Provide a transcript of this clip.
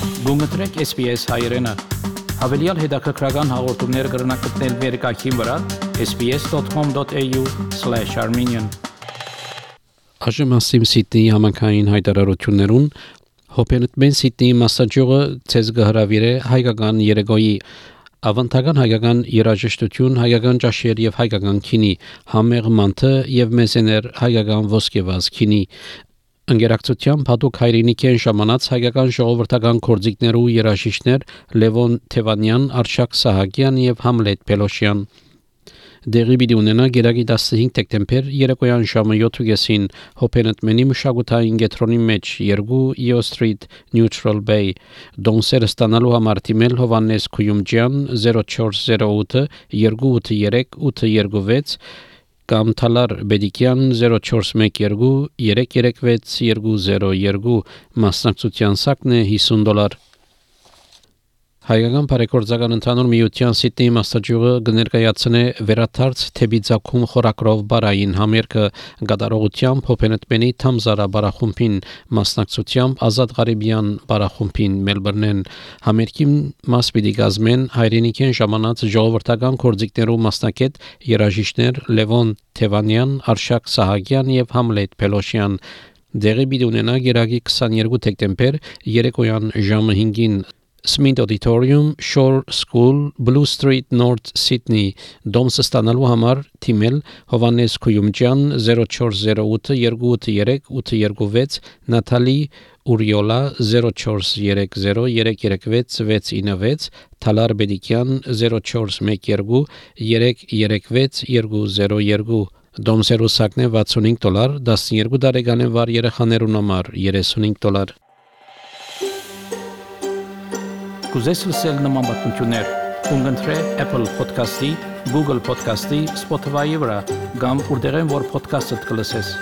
Գումտրեք SPS հայերեն։ Հավելյալ հետաքրքրական հաղորդումներ կգրնակցնել վերկայքին վրա sbs.com.au/armenian Աժմասիմ Սիդնեի համանքային հայտարարություններուն Հոփենտմեն Սիդնեի մասնաճյուղը ցեզ գհրավիրե հայկական երեգոյի ավանդական հայկական երաժշտություն, հայկական ճաշեր եւ հայկական քինի, համեղ մանթը եւ մեզեներ հայկական ոսկեվազ քինի Ընկերակցությամբ հատուկ հայրենիքեն ժամանած հայկական ժողովրդական կորձիկներու երաժիշտներ Լևոն Թևանյան, Արշակ Սահակյան եւ Համլետ Պելոշյան Դեղի պիտի ունենա գերագի 15 դեկտեմբեր երեկոյան ժամը 7:30 Հոփենտմենի մշակութային կենտրոնի մեջ 2 Yeo Street Neutral Bay դոնսերը ստանալու համար թիմել Հովանես Քույումջյան 0408 283 826 կամ Թալար Բեդիկյան 0412 336 202 մասնակցության սակն է $50 Հայկական բարեգործական ընդհանուր միության Սիդնեի մասնաճյուղը կներկայացնե վերաթարց թեբիձակում խորակրով բարային համերգը գդարողությամբ Հոփենտմենի Թամզարա բարախումբին մասնակցությամբ Ազատ Ղարիբյան բարախումբին Մելբուրնեն համերգի մաս պիտի կազմեն հայրենիքեն ժամանած ժողովրդական կորձիկներու մասնակետ երաժիշտներ Լևոն Թևանյան, Արշակ Սահակյան եւ Համլետ Պելոշյան դեղի պիտի ունենա գերագի 22 դեկտեմբեր երեկոյան ժամը 5-ին Smith Auditorium, Shore School, Blue Street, North Sydney, Դոմսը ստանալու համար թիմել Հովանես Քույումջյան 0408 283 826 Նաթալի Ուրիոլա 0430 336 696 Թալար Բեդիկյան 0412 336 202 Դոմսերու սակն է $65 12 տարեկան վար երեխաներուն համար $35 Կուզես լսել նման բանություններ, կընտրե Apple Podcast-ի, Google Podcast-ի, Spotify-ի վրա, կամ որտեղեն որ podcast-ըդ կլսես։